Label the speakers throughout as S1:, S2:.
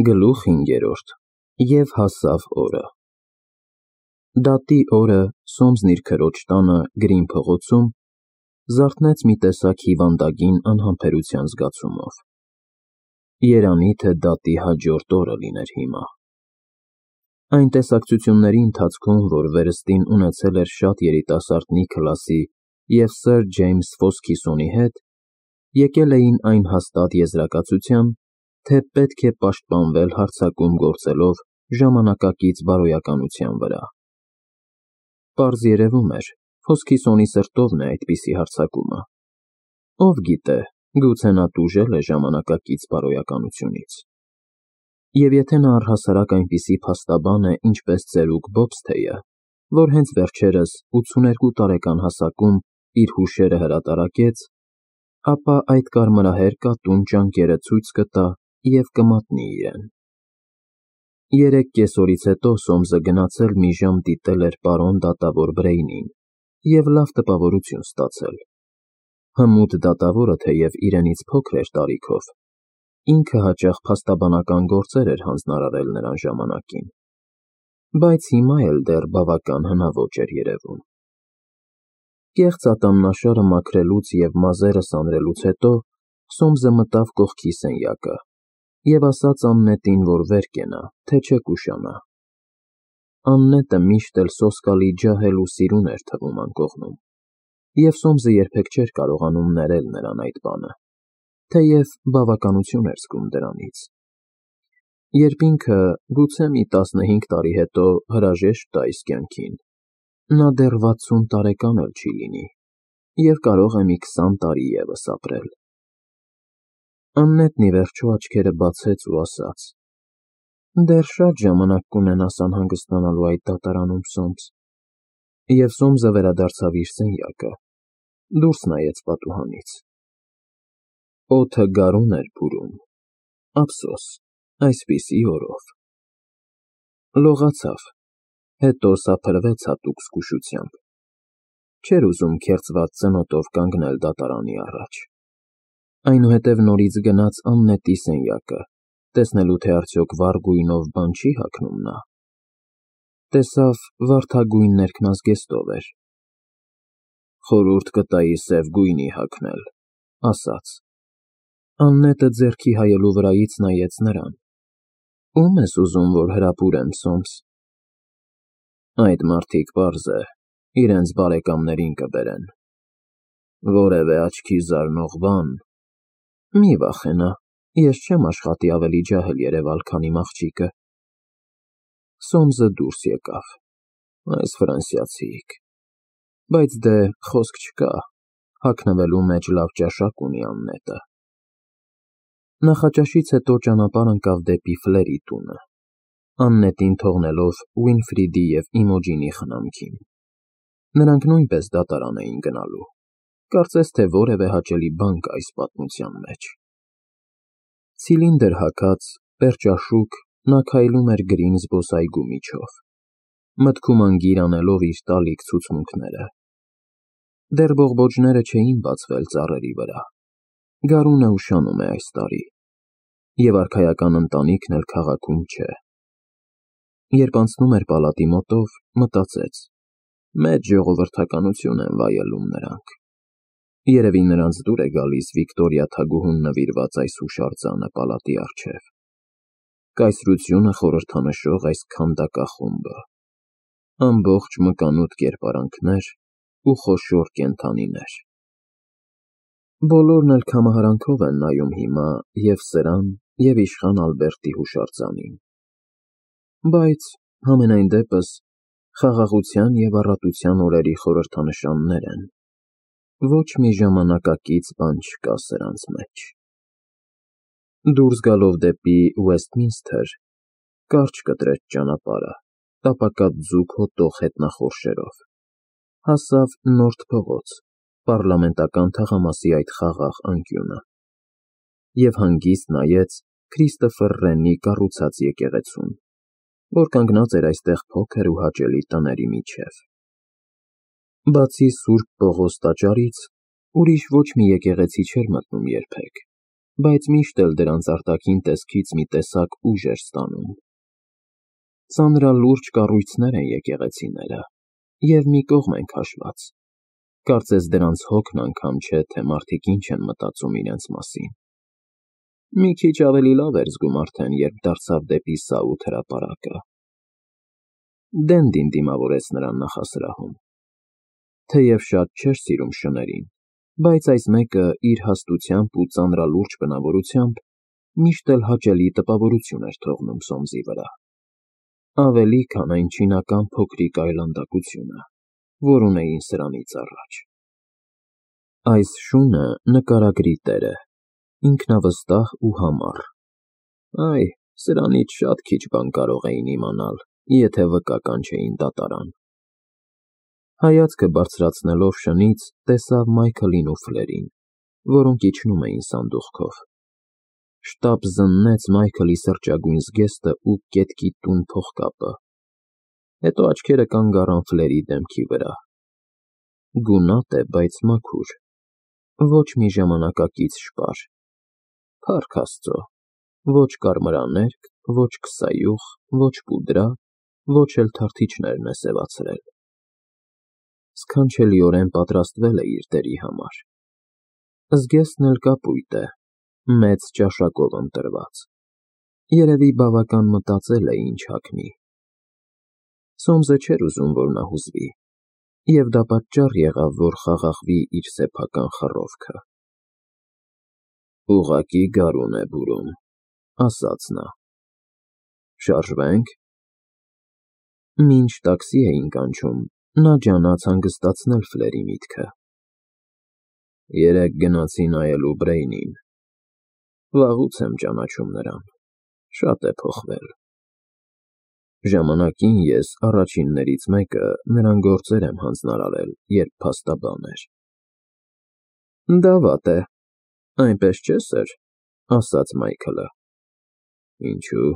S1: Գլուխ 5 Եվ հասավ օրը։ Դատի օրը Սոմսն իր քրոջ տանը Գրին փողոցում զարթնեց մի տեսակ հիվանդագին անհամբերության զգացումով։ Երանի թե դատի հաջորդ օրը լիներ հիմա։ Այն տեսակցությունների ընթացքում, որ վերստին ունեցել էր շատ երիտասարդ Նիքլասի և սըր Ջեյմս Ֆոսքիսոնի հետ, եկել էին այն հաստատ եզրակացության, թե պետք է պաշտպանվել հարձակում գործելով ժամանակակից բարոյականության վրա։ Պարզ երևում էր, Ֆոսքիսոնի սրտովն է այդպիսի հարձակումը։ Ով գիտե, գուցե նա տուժել է ժամանակակից բարոյականությունից։ Եվ եթե նա առհասարակ այնպիսի փաստաբան է, ինչպես ծերուկ Բոբսթեյը, որ հենց վերջերս 82 տարեկան հասակում իր հուշերը հրատարակեց, ապա այդ կարմրահեր կատուն ջանքերը ցույց կտա և կմատնի իրեն։ 3 կեսօրից հետո Սոմսը գնացել մի ժամ դիտել էր պարոն դատավոր Բրեյնին և լավ տպավորություն ստացել։ Հմուտ դատավորը թեև իրենից փոքր էր տարիքով, ինքը հաճախ փաստաբանական գործեր էր հանձնարարել նրան ժամանակին, բայց հիմա էլ դեռ բավական հնաոճ էր երևում։ Կեղծ ատամնաշարը մաքրելուց և մազերը սանրելուց հետո Սոմսը մտավ կողքի սենյակը և ասաց Աննետին, որ վեր կենա, թե չէ կուշանա։ Աննետը միշտ էլ սոսկալի ջահել ու սիրուն էր թվում անկողնում, և Սոմսը երբեք չէր կարողանում ներել նրան այդ բանը, թեև բավականություն էր զգում դրանից։ Երբ ինքը, գուցե մի 15 տարի հետո հրաժեշտ տա իր կյանքին, նա դեռ 60 տարեկան էլ չի լինի և կարող է մի 20 տարի ևս ապրել։ Աննետն ի վերջո աչքերը բացեց ու ասաց. «Դեռ շատ ժամանակ կունենաս անհանգստանալու այդ դատարանում, Սոմս»։ Եվ Սոմսը վերադարձավ իր սենյակը, դուրս նայեց պատուհանից։ Օդը գարուն էր բուրում, ափսոս, այսպիսի օրով։ Լողացավ, հետո սափրվեց հատուկ զգուշությամբ։ Չէր ուզում քերծված ծնոտով կանգնել դատարանի առաջ։ Այնուհետև նորից գնաց Աննետի սենյակը, տեսնելու թե արդյոք վառ գույնով բան չի հագնում նա։ Տեսավ վարդագույն ներքնազգեստով էր։ «Խորհուրդ կտայի սև գույնի հագնել», ասաց։ Աննետը ձեռքի հայելու վրայից նայեց նրան։ «Ո՞ւմ ես ուզում, որ հրապուրեմ, Սոմս»։ «Այդ մարդիկ, պարզ է, իրենց բարեկամներին կբերեն։ Որևէ աչքի զարնող բան»։ «Մի վախենա, ես չեմ աշխատի ավելի ջահել երևալ, քան իմ աղջիկը»։ Սոմսը դուրս եկավ։ Այս ֆրանսիացիք։ Բայց դե խոսք չկա, հագնվելու մեջ լավ ճաշակ ունի Աննետը։ Նախաճաշից հետո ճանապարհ ընկավ դեպի Ֆլերի տունը, Աննետին թողնելով Ուինֆրիդի և Իմոջինի խնամքին։ Նրանք նույնպես դատարան էին գնալու, կարծես թե որևէ հաճելի բան կա այս պատմության մեջ։ Ցիլինդր հագած, պերճաշուք, նա քայլում էր գրին զբոսայգու միջով, մտքում անգիր անելով իր տալիք ցուցմունքները։ Դեռ բողբոջները չէին բացվել ծառերի վրա։ Գարունը ուշանում է այս տարի, և արքայական ընտանիքն էլ քաղաքում չէ։ Երբ անցնում էր պալատի մոտով, մտածեց. մեծ ժողովրդականություն են վայելում նրանք։ Երևի նրանց դուր է գալիս Վիկտորիա թագուհուն նվիրված այս հուշարձանը պալատի առջև։ Կայսրությունը խորհրդանշող այս քանդակախումբը, ամբողջ մկանուտ կերպարանքներ ու խոշոր կենդանիներ։ Բոլորն էլ քամահարանքով են նայում հիմա և սրան, և իշխան Ալբերտի հուշարձանին։ Բայց, համենայն դեպս, խաղաղության և առատության օրերի խորհրդանշաններ են, ոչ մի ժամանակակից բան չկա սրանց մեջ։ Դուրս գալով դեպի Ուեսթմինսթր, կարճ կտրեց ճանապարհը, տապակած ձուկ հոտող հետնախորշերով, հասավ Նորթ փողոց, պառլամենտական թաղամասի այդ խաղաղ անկյունը, և հանգիստ նայեց Քրիստոֆեր Ռենի կառուցած եկեղեցուն, որ կանգնած էր այստեղ փոքր ու հաճելի տների միջև։ Բացի Սուրբ Պողոս տաճարից, ուրիշ ոչ մի եկեղեցի չէր մտնում երբեք, բայց միշտ էլ դրանց արտաքին տեսքից մի տեսակ ուժ էր ստանում։ Ծանրալուրջ կառույցներ են եկեղեցիները, և մի կողմ են քաշված։ Կարծես դրանց հոգն անգամ չէ, թե մարդիկ ինչ են մտածում իրենց մասին։ Մի քիչ ավելի լավ էր զգում արդեն, երբ դարձավ դեպի Սաութ հրապարակը։ Դենդին դիմավորեց նրան նախասրահում։ Թեև շատ չէր սիրում շներին, բայց այս մեկը իր հաստությամբ ու ծանրալուրջ բնավորությամբ միշտ էլ հաճելի տպավորություն էր թողնում Սոմսի վրա, ավելի քան այն չինական փոքրիկ այլանդակությունը, որ ունեին սրանից առաջ։ Այս շունը նկարագրի տեր է, ինքնավստահ ու համառ։ Այ, սրանից շատ քիչ բան կարող էին իմանալ, եթե վկա կանչեին դատարան։ Հայացքը բարձրացնելով շնից, տեսավ Մայքլին ու Ֆլերին, որոնք իջնում էին սանդուղքով։ Շտապ զննեց Մայքլի սրճագույն զգեստը ու կետկի տուն փողկապը, հետո աչքերը կանգ առան Ֆլերի դեմքի վրա։ Գունատ է, բայց մաքուր, ոչ մի ժամանակակից շպար, փառք Աստծո, ոչ կարմրաներկ, ոչ քսայուխ, ոչ պուդրա, ոչ էլ թարթիչներն է սևացրել։ Սքանչելիորեն պատրաստվել է իր դերի համար։ Զգեստն էլ կապույտ է, մեծ ճաշակով ընտրված։ Երևի բավական մտածել է ինչ հագնի։ Սոմսը չէր ուզում, որ նա հուզվի, և դա պատճառ եղավ, որ խաղաղվի իր սեփական խռովքը։ Ուղղակի գարուն է բուրում, ասաց նա։ Շարժվե՞նք։ Մինչ տաքսի էին կանչում, նա ջանաց հանգստացնել Ֆլերի միտքը։ Երեկ գնացի նայելու Բրեյնին։ Վաղուց եմ ճանաչում նրան, շատ է փոխվել։ Ժամանակին ես առաջիններից մեկը նրան գործեր եմ հանձնարարել, երբ փաստաբան էր։ Դա վատ է, այնպես չէ՞, սըր, ասաց Մայքլը։ Ինչու՞։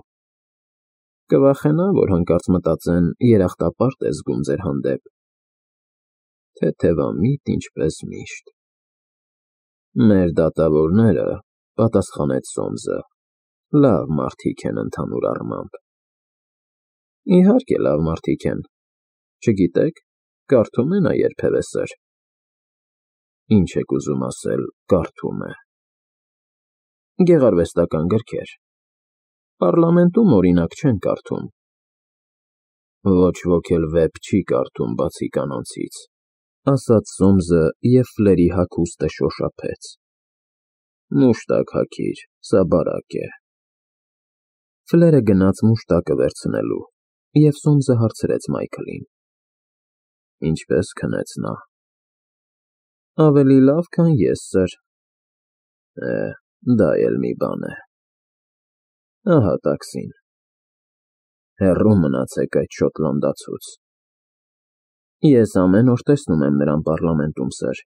S1: Կվախենա, որ հանկարծ մտածեն երախտապարտ է զգում ձեր հանդեպ։ Թեթևամիտ, ինչպես միշտ։ Մեր դատավորները, պատասխանեց Սոմսը, լավ մարդիկ են ընդհանուր առմամբ։ Իհարկե լավ մարդիկ են, չգիտեք, կարդում է նա երբևէ, սըր։ Ինչ եք ուզում ասել, կարդում է։ Գեղարվեստական գրքեր։ Պառլամենտում, օրինակ, չեն կարդում։ Ոչ ոք էլ վեպ չի կարդում, բացի կանանցից, ասաց Սոմսը և Ֆլերի հագուստը շոշափեց։ Մուշտակ հագիր, սա բարակ է։ Ֆլերը գնաց մուշտակը վերցնելու, և Սոմսը հարցրեց Մայքլին. Ինչպես քնեց նա։ Ավելի լավ, քան ես, սըր։ Դա էլ մի բան է։ Ահա տաքսին։ Հեռու մնացեք այդ շոտլանդացուց։ Ես ամեն օր տեսնում եմ նրան պառլամենտում, սըր։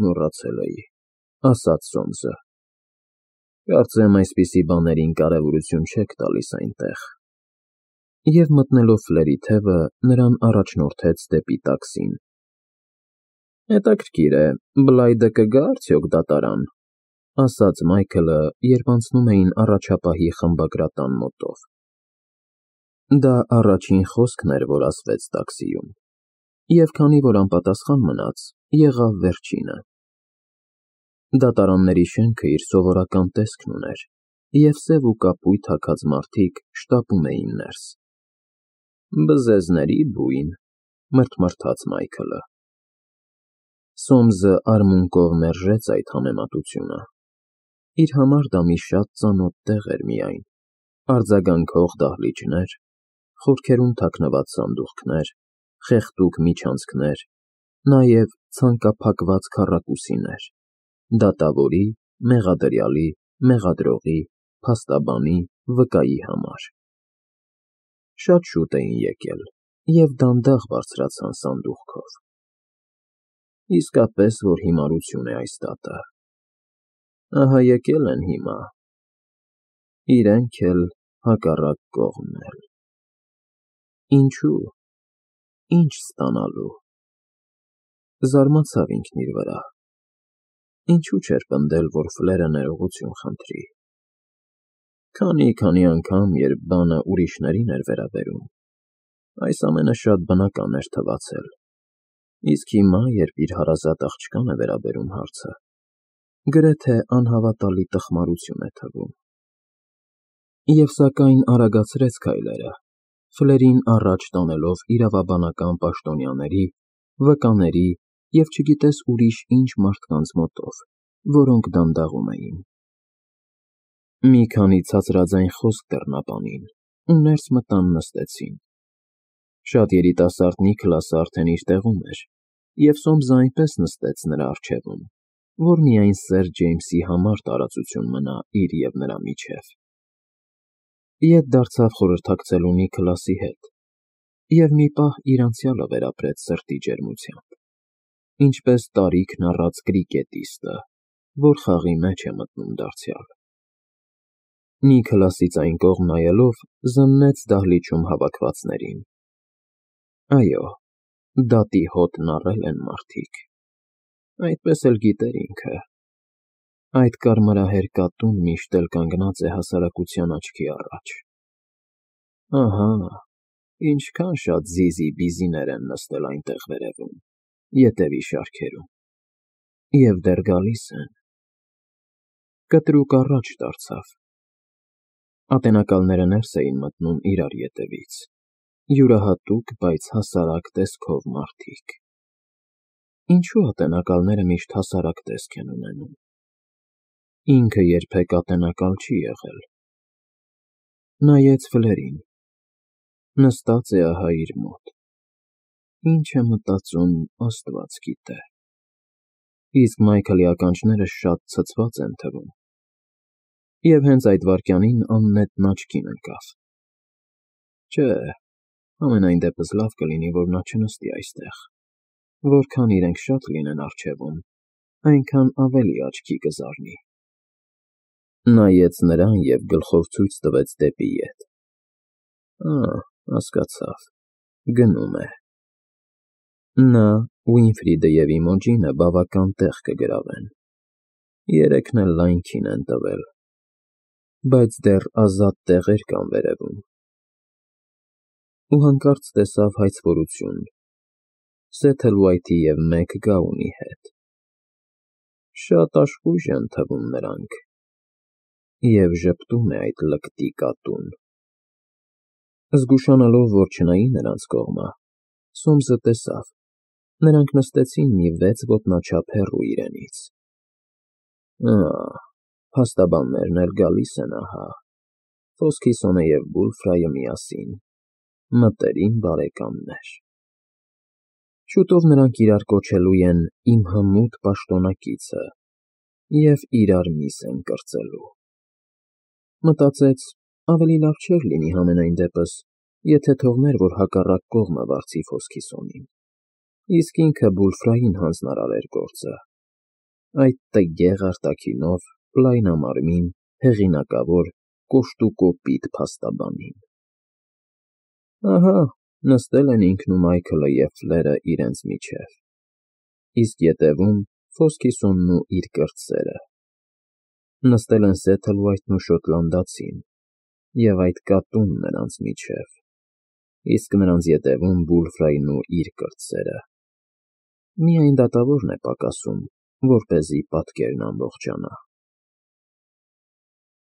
S1: Մոռացել էի, ասաց Սոմսը։ Կարծեմ այսպիսի բաներին կարևորություն չեք տալիս այնտեղ։ Եվ մտնելով Ֆլերի թևը, նրան առաջնորդեց դեպի տաքսին։ Հետաքրքիր է, Բլայդը կգա՞ արդյոք դատարան, ասաց Մայքլը, երբ անցնում էին առաջապահի խմբագրատան մոտով։ Դա առաջին խոսքն էր, որ ասվեց տաքսիում, և քանի որ անպատասխան մնաց, եղավ վերջինը։ Դատարանների շենքը իր սովորական տեսքն ուներ, և սև ու կապույտ հագած մարդիկ շտապում էին ներս։ Բզեզների բույն, մրթմրթաց Մայքլը։ Սոմսը արմունկով մերժեց այդ համեմատությունը։ Իր համար դա մի շատ ծանոթ տեղ էր միայն, արձագանքող դահլիճներ, խորքերում թաքնված սանդուղքներ, խեղդուկ միջանցքներ, նաև ցանկափակված քառակուսիներ, դատավորի, մեղադրյալի, մեղադրողի, փաստաբանի, վկայի համար։ Շատ շուտ էին եկել և դանդաղ բարձրացան սանդուղքով։ Իսկապես, որ հիմարություն է այս դատը։ Ահա եկել են հիմա, իրենք էլ հակառակ կողմն էլ։ Ինչու՞, ինչ ստանալու։ Զարմացավ ինքն իր վրա։ Ինչու չէր պնդել, որ Ֆլերը ներողություն խնդրի։ Քանի անգամ, երբ բանը ուրիշներին էր վերաբերում, այս ամենը շատ բնական էր թվացել, իսկ հիմա, երբ իր հարազատ աղջկան է վերաբերում հարցը, գրեթե անհավատալի տխմարություն է թվում։ Եվ սակայն արագացրեց քայլերը, Ֆլերին առաջ տանելով իրավաբանական պաշտոնյաների, վկաների և չգիտես ուրիշ ինչ մարդկանց մոտով, որոնք դանդաղում էին։ Մի քանի ցածրաձայն խոսք դռնապանին ու ներս մտան նստեցին։ Շատ երիտասարդ Նիքլասը արդեն իր տեղում էր, և Սոմսը այնպես նստեց նրա առջևում, որ միայն Սեր Ջեյմսի համար տարածություն մնա իր և նրա միջև։ Ետ դարձավ խորհրդակցելու Նիքլասի հետ և մի պահ իր անցյալը վերապրեց սրտի ջերմությամբ, ինչպես տարիքն առած կրիկետիստը, որ խաղի մեջ է մտնում դարձյալ։ Նիքլասից այն կողմ նայելով, զննեց դահլիճում հավաքվածներին. Այո, դատի հոտն առել են մարդիկ, այդպես էլ գիտեր ինքը, այդ կարմրահեր կատուն միշտ էլ կանգնած է հասարակության աչքի առաջ։ Ահա, ինչքան շատ զիզի-բիզիներ են նստել այնտեղ վերևում, ետևի շարքերում, և դեռ գալիս են։ Կտրուկ առաջ դարձավ։ Ատենակալները ներս էին մտնում իրար ետևից, յուրահատուկ, բայց հասարակ տեսքով մարդիկ։ Ինչու ատենակալները միշտ հասարակ տեսք են ունենում։ Ինքը երբեք ատենակալ չի եղել։ Նայեց Ֆլերին։ Նստած է ահա իր մոտ։ Ինչ է մտածում, Աստված գիտե։ Իսկ Մայքլի ականջները շատ ցցված են թվում։ Եվ հենց այդ վայրկյանին աննետն աչքին ընկավ։ Չէ, համենայն դեպս լավ կլինի, որ նա չնստի այստեղ։ Որքան իրենք շատ լինեն առջևում, այնքան ավելի աչքի կզարնի։ Նայեց նրան և գլխով ցույց տվեց դեպի ետ։ Հասկացավ, գնում է։ Նա, Ուինֆրիդը և Իմոջինը բավական տեղ կգրավեն։ Երեքն էլ լայնքին են տվել, բայց դեռ ազատ տեղեր կան վերևում։ Ու հանկարծ տեսավ հայցվորություն Սեթլվայթի և Մեկ Գաունի հետ։ Շատ աշխույժ են թվում նրանք, և ժպտում է այդ լկտի կատուն։ Զգուշանալով, որ չնայի նրանց կողմը, Սոմսը տեսավ, նրանք նստեցին մի 6 ոտնաչափ հեռու իրենից։ Փաստաբաններն էլ գալիս են ահա, Ֆոսքիսոնը և Բուլֆրայը միասին, մտերիմ բարեկամներ։ Շուտով նրանք իրար կոչելու են իմ հմուտ պաշտոնակիցը և իրար միս են կրծելու։ Մտածեց, ավելի լավ չէր լինի համենայն դեպս, եթե թողներ, որ հակառակ կողմը վարձի Ֆոսքիսոնին, իսկ ինքը Բուլֆրային հանձնարարեր գործը, այդ տգեղ արտաքինով, լայնամարմին, հեղինակավոր, կոշտուկոպիտ փաստաբանին։ Ահա, նստել են ինքն ու Մայքլը և Ֆլերը իրենց միջև, իսկ ետևում Ֆոսքիսոնն ու իր կրտսերը։ Նստել են Սեթլվայթն ու շոտլանդացին, և այդ կատուն նրանց միջև, իսկ նրանց ետևում Բուլֆրային ու իր կրտսերը։ Միայն դատավորն է պակասում, որպեսզի պատկերն ամբողջանա։